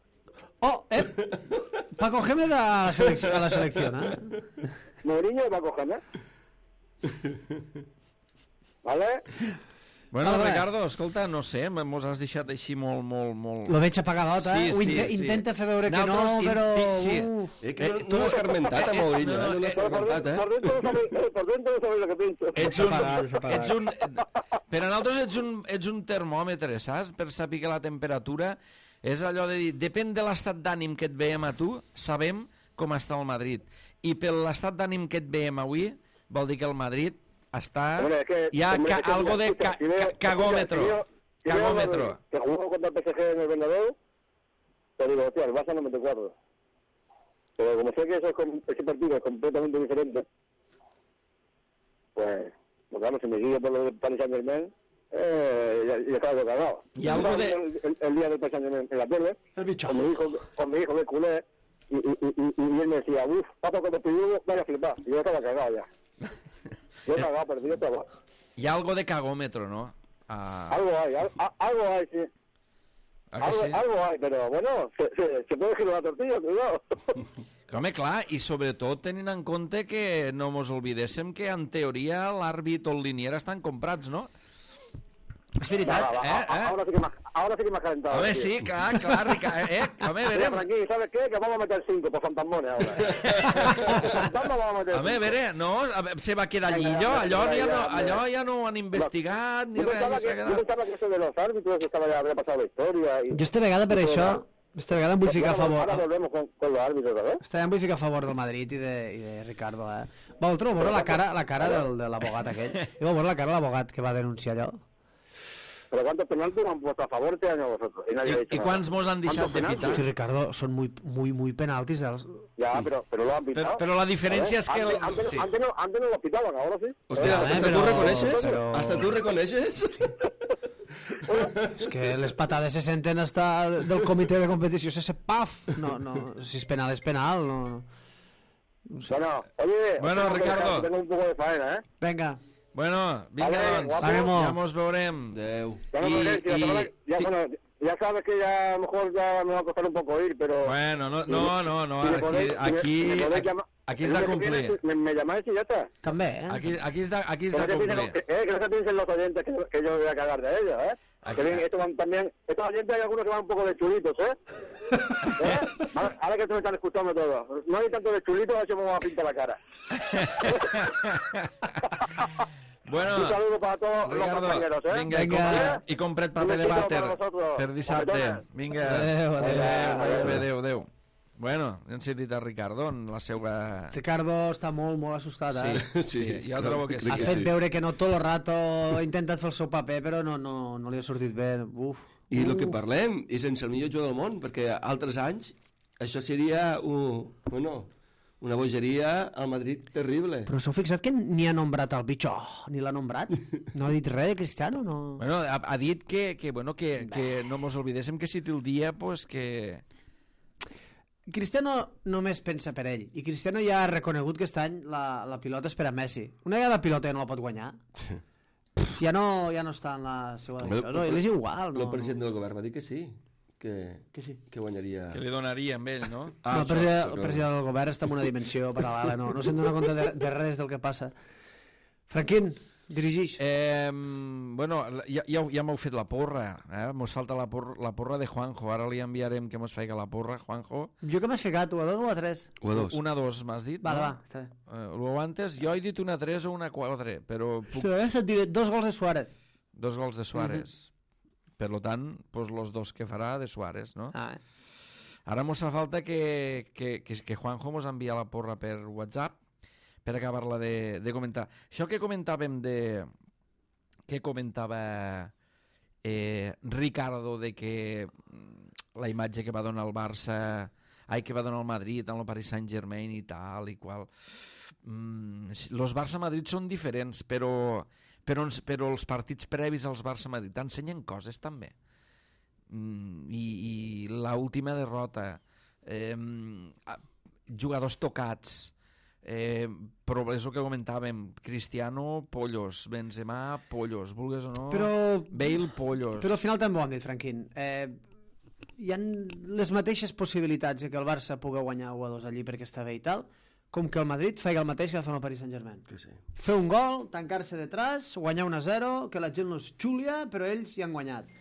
Paco Gémez a la selección, ¿eh? Mourinho o Paco Gémez. ¿Vale? Bueno, Vale. Ricardo, escolta, no sé, mos has deixat així molt... Lo veig apagadot, eh? Sí. Intenta fer veure que no, però... Sí. Que no l'has escarmentat, a Mourinho, no l'has escarmentat, Por dentro no sabéis lo que pienso. Ets un... Per a nosaltres ets un termòmetre, saps? Per saber que la temperatura és allò de dir, depèn de l'estat d'ànim que et veiem a tu, sabem com està el Madrid. I per l'estat d'ànim que et veiem avui, vol dir que el Madrid està... Hi ha algo de cagòmetro. Que jugó contra el PSG en el Bernabéu, pues digo, hostia, el Barça no mete 4. Pero como sé que ese partido es completamente diferente, pues claro, si me guío por lo del Paris Saint-Germain, ya estaba yo cagado. Y algo de... El día del Paris Saint-Germain en la tele, El bicho. con mi hijo que culé, y él me decía, uff, pato, cuando te digo, vaya a flipar. Y yo estaba cagado ya. Yo cagado, pero yo estaba... Y algo de cagómetro, ¿no? Algo hay, sí. Algo hay, però bueno, se puede girar la tortilla, cuidado. Home, clar, i sobretot tenint en compte que no mos oblidéssim que en teoria l'àrbit o el linier estan comprats, no? És veritat. Ahora sí que me has calentado. Home, sí, clar, Ricard. Home, Mira, verem. tranquilo, ¿sabes qué? Que vamos a meter 5 por Fantasmones ahora. Fantasma vamos a meter Home, veré, no, se va quedar llillo, allò ja no ho han investigat ni Yo res. pensaba que eso de los árbitros estaba ya había pasado la historia. Jo esta vegada per això, esta vegada em vull ficar a favor. Ahora volvemos con los árbitros, ¿verdad? Esta vegada em vull ficar a favor del Madrid i de Ricardo. Vosaltres vau veure la cara de l'abogat aquell? Vau veure la cara de l'abogat que va denunciar allò? Pero ¿cuántos penaltis han puesto a favor este año vosotros? Y nadie ha dicho I quants mos han deixat de pitar? Hosti, Ricardo, són muy penaltis. Ya, pero lo han pitado. Però la diferència és que... Antes no lo pitaban, ahora sí. Hostia, ¿hasta tú reconeixes? ¿Hasta tú reconeixes? És que les patades se senten hasta del comitè de competició, se paf! No, si és penal, és penal, no. Bueno, Ricardo. Tengo un poco de faena, ¿eh? Venga. Bueno, vinga, Vale, doncs, guapo. ja mos veurem. Adéu. Ya sabes que ya a lo mejor ya me va a costar un poco ir, pero... Bueno, no, aquí és de complir. Me llamáis y ya está. També, Aquí és de Que complir. no se piensen los oyentes que yo voy a cagar de ellos, ¿eh? Que bien, estos oyentes hay algunos que van un poco de chulitos, ¿eh? Ahora que me están escuchando todos. No hay tanto de chulitos, a ver si me voy a pintar la cara. Bueno, Un saludo para todos los Ricardo, compañeros, ¿eh? vinga, i compret paper de vàter vosaltres. per dissabte. Vinga, adéu. Bueno, hem sentit a Ricardo en la seva... Ricardo està molt assustat, eh? Sí, jo trobo que sí. Ha fet veure que no tot el rato ha intentat fer el seu paper, però no li ha sortit bé. Uf. I el que parlem, i sense el millor jugador del món, perquè altres anys això seria una bogeria al Madrid terrible. Però s'heu fixat que ni ha nombrat el bitxo, ni l'ha nombrat? No ha dit res de Cristiano, no? Bueno, ha dit que no mos oblidéssim que si té el dia, pues que... Cristiano només pensa per ell, i Cristiano ja ha reconegut que aquest any la pilota és per a Messi. Una vegada la pilota ja no la pot guanyar, ja no està en la seva decisió. No, ell és igual. El president del govern va dir que sí, que guanyaria... Que li donaria amb ell, no? El president del govern està en una dimensió paral·lela, no se'n dona compte de res del que passa. Franquín, dirigix. Bueno, ja m'heu fet la porra, mos falta la porra de Juanjo, ara li enviarem que mos faci la porra, Juanjo. Jo que m'has ficat, 1-2 o 3? 1-2. 1-2 m'has dit, va, no? Va, està bé. Ho antes, jo he dit 1-3 o 1-4, però... Et diré 2 gols de Suárez. 2 gols de Suárez. Per tant, pues los 2 que farà de Suárez, no? Ara mos fa falta que Juanjo mos envia la porra per WhatsApp per acabar-la de comentar. Això que comentàvem que comentava Ricardo de que la imatge que va donar el Barça, que va donar el Madrid en el Paris Saint-Germain i tal i qual. Los Barça-Madrid són diferents, però els partits previs als Barça-Madrid t'ensenyen coses també. I l'última derrota, jugadors tocats, però és el que comentàvem, Cristiano, pollos, Benzema, pollos, vulguis o no, Bale, pollos. Però al final també ho hem dit, Franquín, hi ha les mateixes possibilitats que el Barça pugui guanyar 1-2 allí perquè està bé i tal, com que el Madrid faci el mateix que va fer el Paris Saint-Germain. Sí. Fer un gol, tancar-se detrás, guanyar 1-0, que la gent no es xulia, però ells hi han guanyat.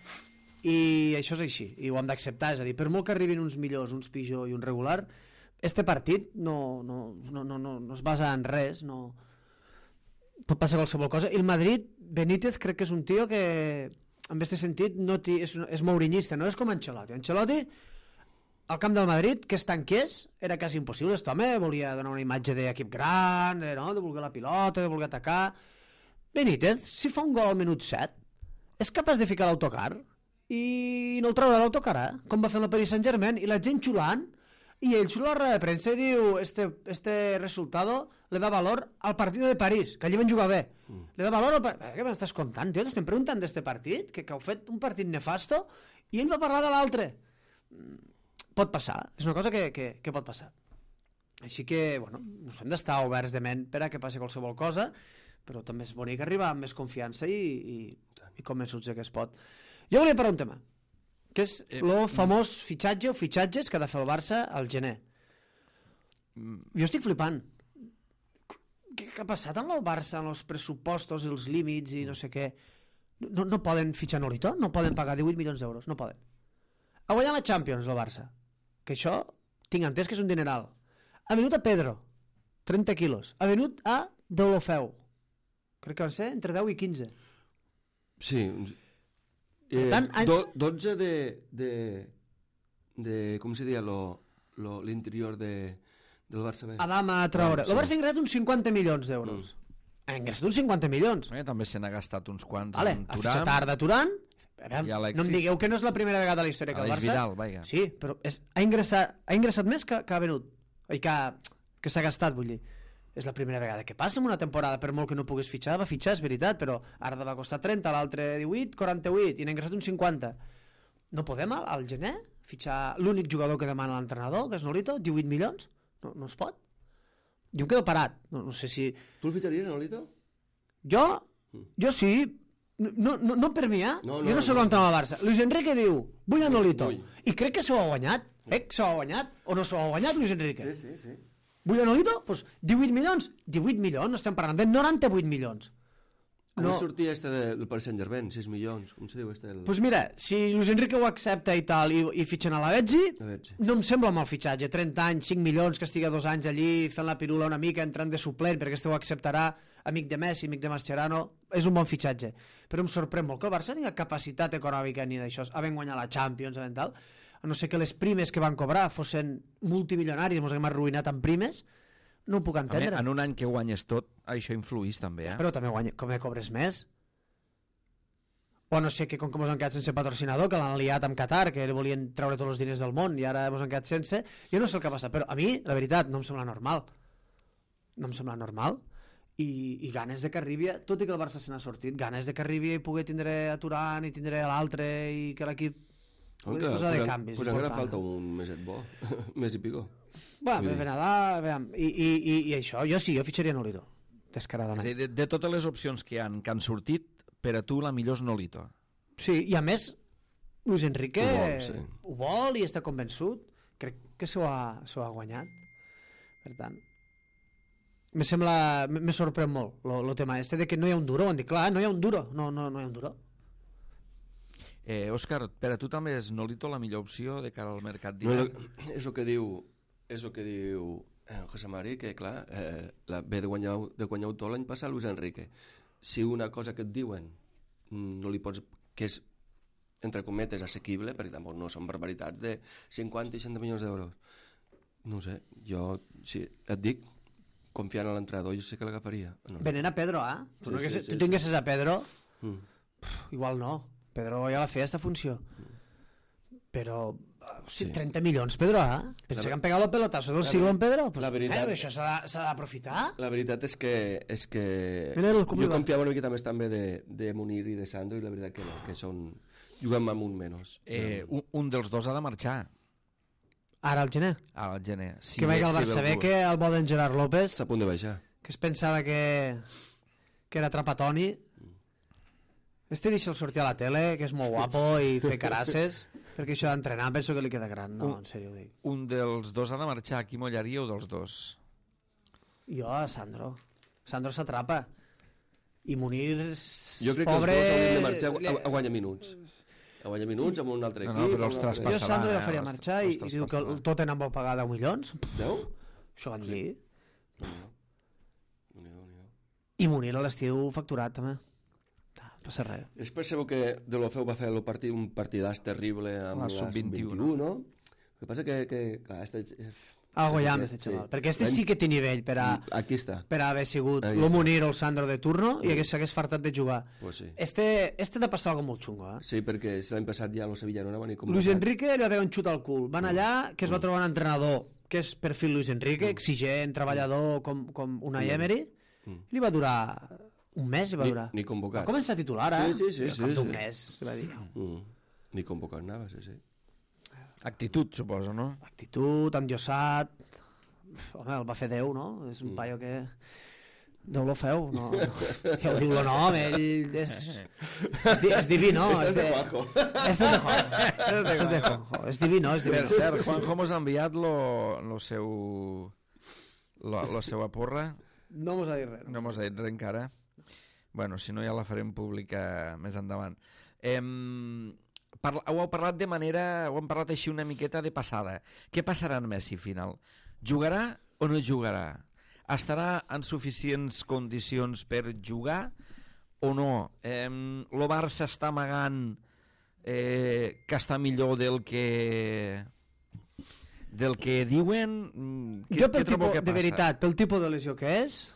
I això és així, i ho hem d'acceptar, és a dir, per molt que arribin uns millors, uns pitjor i un regular, este partit no es basa en res, no pot passar qualsevol cosa. I el Madrid, Benítez, crec que és un tio que, en aquest sentit, és mourinyista, no és com Ancelotti. Ancelotti, al camp del Madrid, que es tanqués, era quasi impossible. Aquest home volia donar una imatge d'equip gran, de voler la pilota, de voler atacar. Benítez, si fa un gol al minut 7, és capaç de ficar l'autocar i no el traurà l'autocar, com va fer el Paris Saint-Germain, i la gent xulant, i ell xula a la roda de premsa i diu este resultado le da valor al partido de París, que allí van jugar bé. Le da valor al partit... Què m'estàs contant, tio? T'estem preguntant d'este partit, que heu fet un partit nefasto, i ell va parlar de l'altre. Pot passar, és una cosa que pot passar. Així que, bueno, ens hem d'estar oberts de ment per a que passi qualsevol cosa, però també és bonic arribar amb més confiança i convençuts que es pot. Jo volia parlar un tema, que és el famós fitxatge o fitxatges que ha de fer el Barça al gener. Jo estic flipant. Què ha passat amb el Barça, amb els pressupostos, els límits i no sé què? No poden fitxar Nolito? No poden pagar 18 milions d'euros? No poden. Ha guanyat la Champions, el Barça. Que això, tinc entès que és un dineral. Ha venut a Pedro, 30 quilos. Ha venut a Deulofeu. Crec que van ser entre 10 i 15. Sí. Per tant, 12 de com se deia l'interior del Barça B. Adama Traoré. El Barça ha ingressat uns 50 milions d'euros. Ha ingressat uns 50 milions. També se n'ha gastat uns quants vale, en ha fitxat Arda Turan. No em digueu que no és la primera vegada a la història que el Barça... Vidal, vaja. Sí, però ha ingressat més que ha venut. I que s'ha gastat, vull dir. És la primera vegada que passa en una temporada, per molt que no puguis fitxar, va fitxar, és veritat, però Arda va costar 30, l'altre 18, 48, i n'ha ingressat uns 50. No podem al gener fitxar l'únic jugador que demana l'entrenador, que és Nolito, 18 milions? No es pot? Jo em quedo parat. No sé si... Tu el fitxaries, Nolito? Jo sí. No per mi, jo no soc l'entrenador del Barça. Luis Enrique diu, vull a Nolito. I crec que s'ho ha guanyat. S'ho ha guanyat o no s'ho ha guanyat, Luis Enrique? Sí. Vull a Nolito? Doncs 18 milions. 18 milions, no estem parlant de 98 milions. Com sortia del Paris Saint-Germain? 6 milions, com se diu Doncs mira, si Luis Enrique ho accepta i tal, i fitxen a la Betzi, no em sembla mal fitxatge. 30 anys, 5 milions, que estigui 2 anys allí fent la pirula una mica, entrant de suplent, perquè este ho acceptarà, amic de Messi, amic de Mascherano, és un bon fitxatge. Però em sorprèn molt que el Barça tingui capacitat econòmica ni d'això, havent guanyat la Champions, havent tal, a no ser que les primes que van cobrar fossin multimilionaris, ens hem arruïnat amb primes, no ho puc entendre. En un any que guanyes tot, això influís també, Però també com cobres més. O no sé que com que ens han quedat sense patrocinador, que l'han liat amb Qatar, que volien treure tots els diners del món i ara ens han quedat sense, jo no sé el que passa, però a mi, la veritat, no em sembla normal. No em sembla normal. I ganes de que arribi, tot i que el Barça se n'ha sortit, ganes de que arribi i pugui tindre a Turan i tindre a l'altre i que l'equip posar de canvis. Pues encara falta un meset bo, mes i pico. Bueno, per Nadal, i això, jo fitxaria Nolito, descaradament. És a dir, de totes les opcions que han sortit, per a tu la millor és Nolito. Sí, i a més, Luis Enrique ho vol i està convençut. Crec que s'ho ha guanyat. Per tant, me sorprèn molt el tema este de que no hi ha un duro. Han dit, clar, no hi ha un duro. No hi ha un duro. Òscar, per a tu també és Nolito la millor opció de cara al mercat d'hivern? És el que diu José Mari, que clar, ve de guanyar tot l'any passat Luis Enrique. Si una cosa que et diuen no li pots, que és entre cometes assequible, perquè tampoc no són barbaritats de 50 i 60 milions d'euros, no sé, jo si et dic, confiant en l'entrenador, jo sé que l'agafaria. Venent a Pedro, tu tinguessis a Pedro, igual no. Pedro ja la feia esta funció. Però 30 milions, Pedro, Pensa que han pegat el pelotazo del siglo en Pedro. Això s'ha d'aprofitar. La veritat és que jo confiava una miqueta més també de Munir i de Sandro, i la veritat que no, que juguem amb un menys. Un dels dos ha de marxar. Ara al gener? Ara al gener. Que vegi el Barça B, que el bo d'en Gerard López... Està a punt de baixar. Que es pensava que era Trapatoni. Este deixa'l sortir a la tele, que és molt guapo, i fer carasses, perquè això d'entrenar penso que li queda gran, no, en sèrio ho dic. Un dels dos ha de marxar, qui mollaríeu dels dos? Jo a Sandro. Sandro s'atrapa. I Munir, jo crec que els dos haurien de marxar a guanyar minuts. A guanyar minuts amb un altre equip. No, però els traspassarà. Jo Sandro ja faria marxar i diu que el Tottenham vol pagar 10 milions. 10? Això van dir. I Munir a l'estiu facturat també. Passa res. És per saber que Deulofeu va fer un partidàs terrible amb la Sub-21, no? El que passa que clar, Algo llama este xaval. Perquè este sí que té nivell per a Aquí està. per haver sigut Ahí lo està. Munir o el Sandro de turno i que s'hagués fartat de jugar. Pues sí. Este t'ha passat algo molt xungo, eh? Sí, perquè l'any passat ja el Sevilla no anava ni com... Luis Enrique li va haver un xut al cul. Van allà, que es va trobar un entrenador que és perfil Luis Enrique, exigent, treballador, com una Emery, i li va durar un mes, li va durar. Ni convocat. Va començar titular, eh? Sí. Un mes, li va dir. Ni convocat anava, sí. Actitud, suposo, no? Actitud, endiosat... Home, el va fer Déu, no? És un paio que... Déu lo feu, no? Ja ho diu el nom, ell és diví, no? Este és de Juanjo. Este és de Juanjo. És diví, no? És diví. Per cert, Juanjo mos ha enviat la seva porra. No mos ha dit res. No mos ha dit res encara. Bueno, si no ja la farem pública més endavant. Ho heu parlat de manera... Ho hem parlat així una miqueta de passada. Què passarà en Messi final? Jugarà o no jugarà? Estarà en suficients condicions per jugar o no? El Barça està amagant que està millor del que diuen? Jo, de veritat, pel tipus de lesió que és,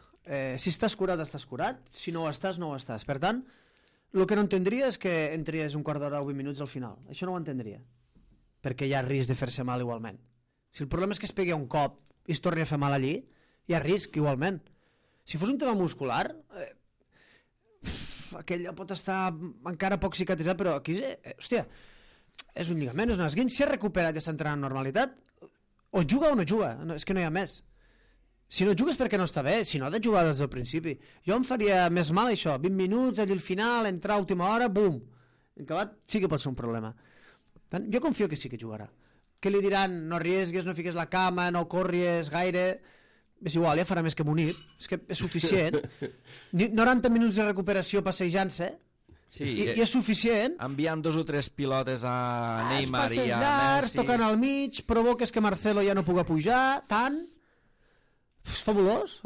si estàs curat, estàs curat. Si no ho estàs, no ho estàs. Per tant, el que no entendria és que entries un quart d'hora o 20 minuts al final. Això no ho entendria. Perquè hi ha risc de fer-se mal igualment. Si el problema és que es pegui un cop i es torni a fer mal allí, hi ha risc igualment. Si fos un tema muscular, aquell pot estar encara poc cicatritzat, però aquí, hòstia, és un lligament, és un esguinç, si ha recuperat i s'ha entrenat en normalitat, o juga o no juga, és que no hi ha més. Si no jugues perquè no està bé, si no ha de jugar des del principi. Jo em faria més mal això, 20 minuts, allà al final, entrar a última hora, bum, acabat, sí que pot ser un problema. Tant, jo confio que sí que jugarà. Que li diran, no arriesgues, no fiques la cama, no corries gaire... És igual, ja farà més que Munir, és que és suficient. 90 minuts de recuperació passejant-se, Sí, i és suficient. Enviant 2 o 3 pilotes a Neymar i passes a llargs, Messi. tocant al mig, provoques que Marcelo ja no puga pujar, tant... És fabulós.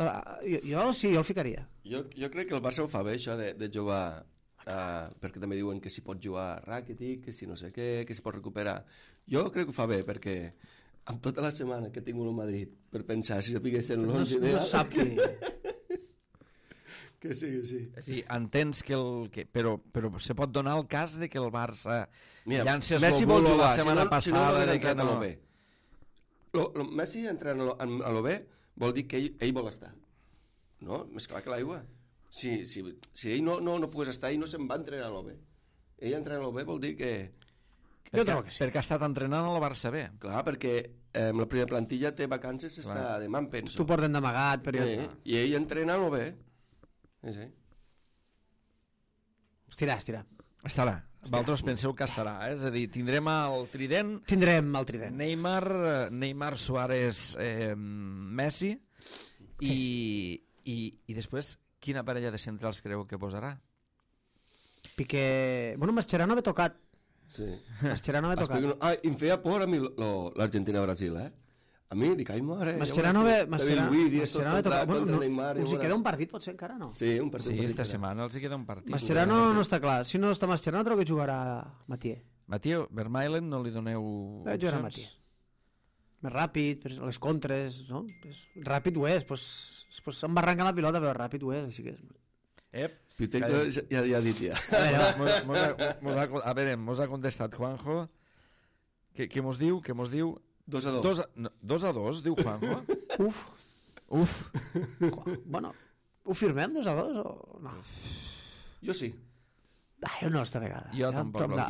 Jo sí, jo el ficaria. Jo crec que el Barça ho fa bé, això de jugar... perquè també diuen que s'hi pot jugar Rakitic, que si no sé què, que s'hi pot recuperar. Jo crec que ho fa bé, perquè amb tota la setmana que he tingut a Madrid per pensar si sapiguessin l'11 No sap qui... Que sí, que sí. Sí, entens que però se pot donar el cas de que el Barça llances Messi el vol bulo jugar, la setmana si no passada hagués de que entrat a no... l'OB. Messi entrant a l'OB vol dir que ell vol estar. No? Més clar que l'aigua. Si ell no pogués estar, ell no se'n va entrenar a l'OB. Ell entrar a l'OB vol dir que... Jo trobo que sí. Perquè ha estat entrenant a la Barça B. Clar, perquè la primera plantilla té vacances, està demà, em penso. Tu porten d'amagat, però... I ell entrena a l'OB. Sí. Estirà. Estarà. Vosaltres penseu que estarà, És a dir, tindrem el trident... Tindrem el trident. Neymar, Suárez, Messi i després quina parella de centrals creu que posarà? Piqué... Bueno, Mascherano ve tocat. Sí. Mascherano ve tocat. Em feia por a mi l'Argentina-Brasil, A mi, dic, ai, mare... Mascherano ve tocat. Bueno, us hi queda un partit, potser, encara, no? Sí, un partit. Sí, esta setmana els hi queda un partit. Mascherano no està clar. Si no està Mascherano, trobo que jugarà Mathieu. Mathieu, Vermaelen, no li doneu Jugarà Mathieu. Més ràpid, les contres, no? Ràpid ho és, pues embarranca la pilota, però ràpid ho és, així que... Piteco ja ha dit ja. A veure, mos ha contestat Juanjo. Què mos diu? 2-2. 2-2, diu Juanjo. Uf. Bueno, ho firmem 2-2 o no? Jo sí. Jo no, esta vegada. Jo tampoc lo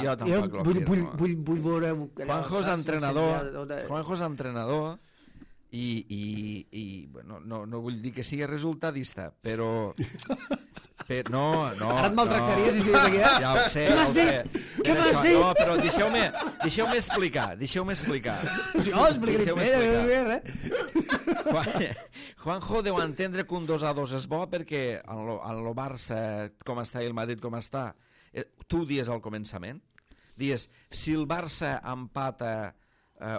firmo. Vull veure... Juanjo és entrenador i bueno, no vull dir que sigui resultadista, però no. Ara et maltractaries si siguis aquí, Ja ho sé. Què m'has dit? No, però deixeu-me explicar. Jo explicaré bé. Juanjo deu entendre que un 2-2 és bo perquè en el Barça, com està, i el Madrid com està, tu dies al començament, dies, si el Barça empata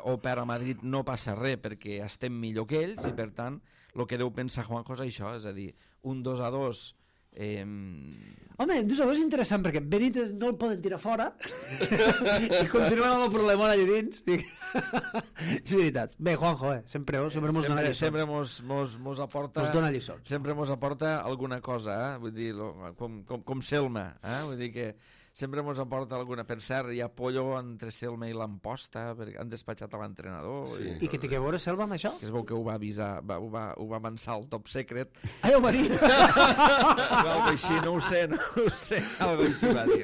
o per a Madrid no passa res perquè estem millor que ells, i per tant el que deu pensar Juanjo és això, és a dir, un 2-2 Home, tu saps, és interessant, perquè Benítez no el poden tirar fora i continuen amb el problemón allà dins. És veritat. Bé, Juanjo, sempre mos dona lliçons. Sempre mos aporta... Mos dona lliçons. Sempre mos aporta alguna cosa, vull dir, com Selma, vull dir que sempre mos aporta alguna... Per cert, hi ha pollo entre Selma i l'Amposta, perquè han despatxat a l'entrenador. Sí. I que té que veure Selva amb això? Que es veu que ho va avisar, ho va avançar al Top Secret. Ai, ho va dir! Algo així, no ho sé, algo així va dir.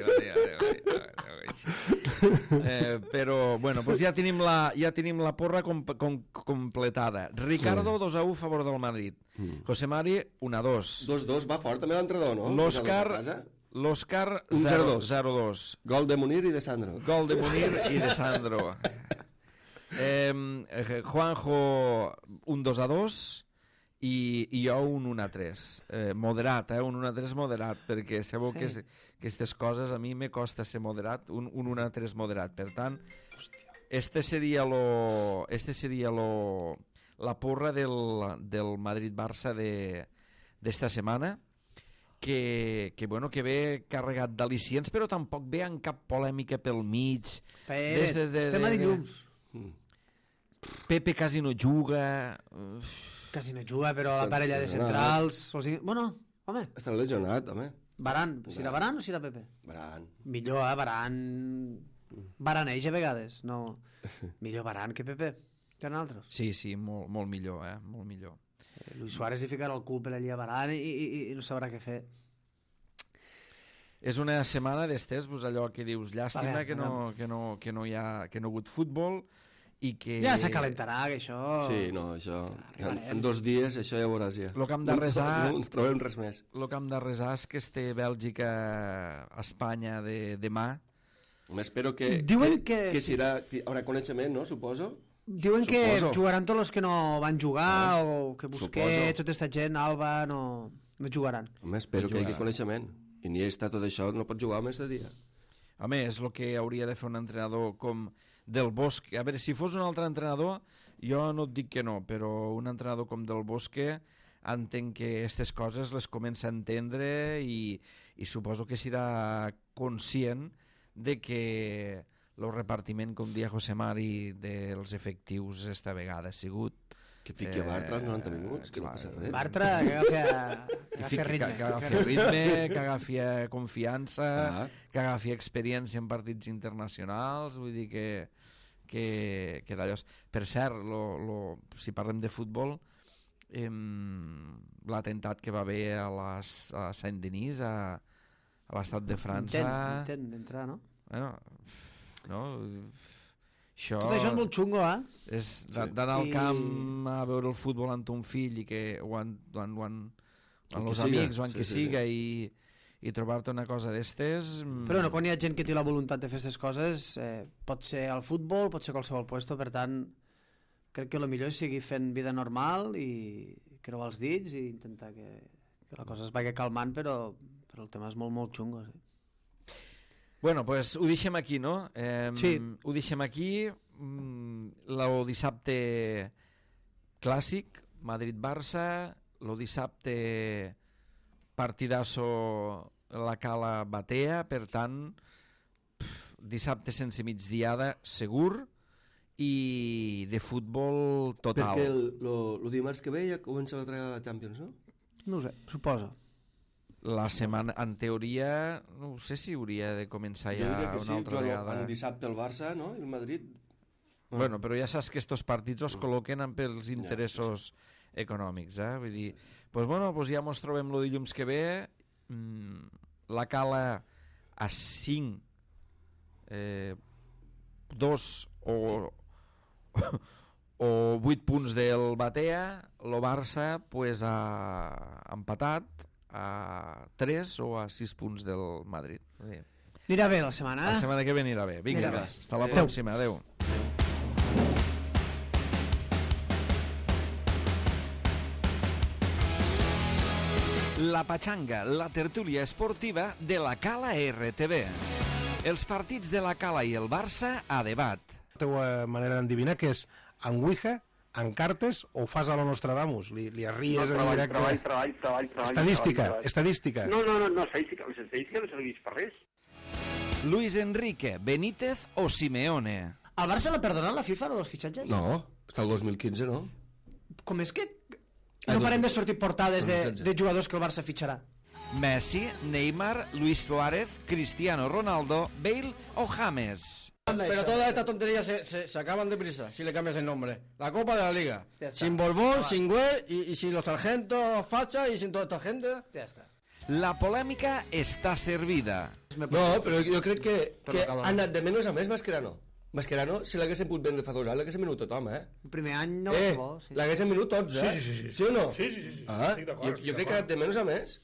Però, bueno, pues ja tenim la porra completada. Ricardo, 2-1 a favor del Madrid. José Mari, 1-2. 2-2, va fort també l'entrenador, no? L'Òscar, 0-2. Gol de Munir i de Sandro. Gol de Munir i de Sandro. Juanjo, un 2-2 i jo un 1-3. Moderat, un 1-3 moderat, perquè sabeu que aquestes coses a mi me costa ser moderat, un 1-3 moderat. Per tant, este seria la porra del Madrid-Barça d'esta setmana, que ve carregat d'al·licients, però tampoc ve en cap polèmica pel mig. Estem a dilluns. Pepe quasi no juga... Quasi no juga, però la parella de centrals... Bueno, home... Està lesionat, home. Baran. Serà Baran o serà Pepe? Baran. Millor, Baran... Baraneix a vegades, no... Millor Baran que Pepe, que nosaltres. Sí, molt millor, molt millor. Luis Suárez li ficarà el cul per allà a Baran i no sabrà què fer. És una setmana d'estes, allò que dius, llàstima que no hi ha hagut futbol i que... Ja s'acalentarà, que això... Sí, no, això... En 2 dies això ja ho veuràs ja. Lo que hem de resar... No trobem res més. Lo que hem de resar és que este Bèlgica-Espanya de demà... Espero que... Diuen que... Que serà... Haurà coneixement, no? Suposo. Diuen que jugaran tots els que no van jugar o que Busquets, tota aquesta gent, Alba, no jugaran. Home, espero que hi hagi coneixement. I ni està tot això, no pot jugar més de dia. Home, és el que hauria de fer un entrenador com Del Bosque. A veure, si fos un altre entrenador, jo no et dic que no, però un entrenador com Del Bosque entenc que aquestes coses les comença a entendre i suposo que serà conscient de que el repartiment, com dia José Mari, dels efectius esta vegada ha sigut... Que fiqui a Bartra als 90 minuts, que no passa res. Bartra, que agafi ritme. Que agafi ritme, que agafi confiança, que agafi experiència en partits internacionals, vull dir que d'allò... Per cert, si parlem de futbol, l'atemptat que va haver a Saint-Denis, a l'estat de França... Intent d'entrar, no? Bueno, no... Això... Tot això és molt xungo, És d'anar al camp a veure el futbol amb ton fill i que amb els amics o amb qui siga i trobar-te una cosa d'estes... Però no, quan hi ha gent que té la voluntat de fer aquestes coses, pot ser al futbol, pot ser qualsevol puesto, per tant, crec que el millor és seguir fent vida normal i creuar els dits i intentar que la cosa es vagi calmant, però el tema és molt, molt xungo, sí. Bueno, pues ho deixem aquí, no? Sí. Ho deixem aquí. El dissabte clàssic, Madrid-Barça. El dissabte partidasso la Cala Batea. Per tant, dissabte sense migdiada segur i de futbol total. Perquè el dimarts que ve ja comença la tragada de la Champions, no? No ho sé, suposo. La setmana, en teoria, no sé si hauria de començar ja una altra vegada. El dissabte el Barça, no? I el Madrid. Bueno, però ja saps que estos partits els col·loquen pels interessos econòmics, Vull dir, pues ja mos trobem el dilluns que ve, la Cala a 5, 2 o 8 punts del Batea, el Barça pues, ha empatat a 3 o a 6 punts del Madrid. Anirà bé la setmana, La setmana que ve anirà bé. Vinga, hasta la pròxima. Adéu. La Pachanga, la tertúlia esportiva de la Cala RTV. Els partits de la Cala i el Barça a debat. La teva manera d'endevinar que és Anguija, en cartes o fas a lo Nostradamus? Li arries en directe? Treball. Estadística. No, estadística. L'estadística no serveix per res. Luis Enrique, Benítez o Simeone? Al Barça l'ha perdonat la FIFA, dels fitxatges? No, està el 2015, no? Com és que no parem de sortir portades de jugadors que el Barça fitxarà? Messi, Neymar, Luis Suárez, Cristiano Ronaldo, Bale o James? Pero todas estas tonterías se acaban deprisa si le cambias el nombre. La Copa de la Liga. Sin Borbón, sin Güell y sin los sargentos Facha y sin toda esta gente. Ja està. La polèmica està servida. No, però jo crec que ha anat de menys a més Mascherano. Mascherano se l'haguessin pogut vendre fa 2 anys, l'haguessin venut tothom, eh? El primer any no va ser bo. Sí. L'haguessin venut tots, eh? Sí. Sí o no? Sí. Ah, Estic d'acord, jo crec que ha anat de menys a més.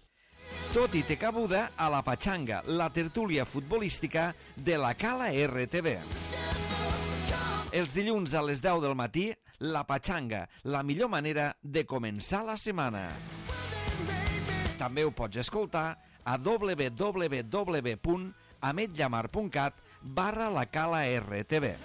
Tot i té cabuda a la Pachanga, la tertúlia futbolística de la Cala RTV. Els dilluns a les 10 del matí, la Pachanga, la millor manera de començar la setmana. També ho pots escoltar a www.ametllamar.cat/la Cala RTV.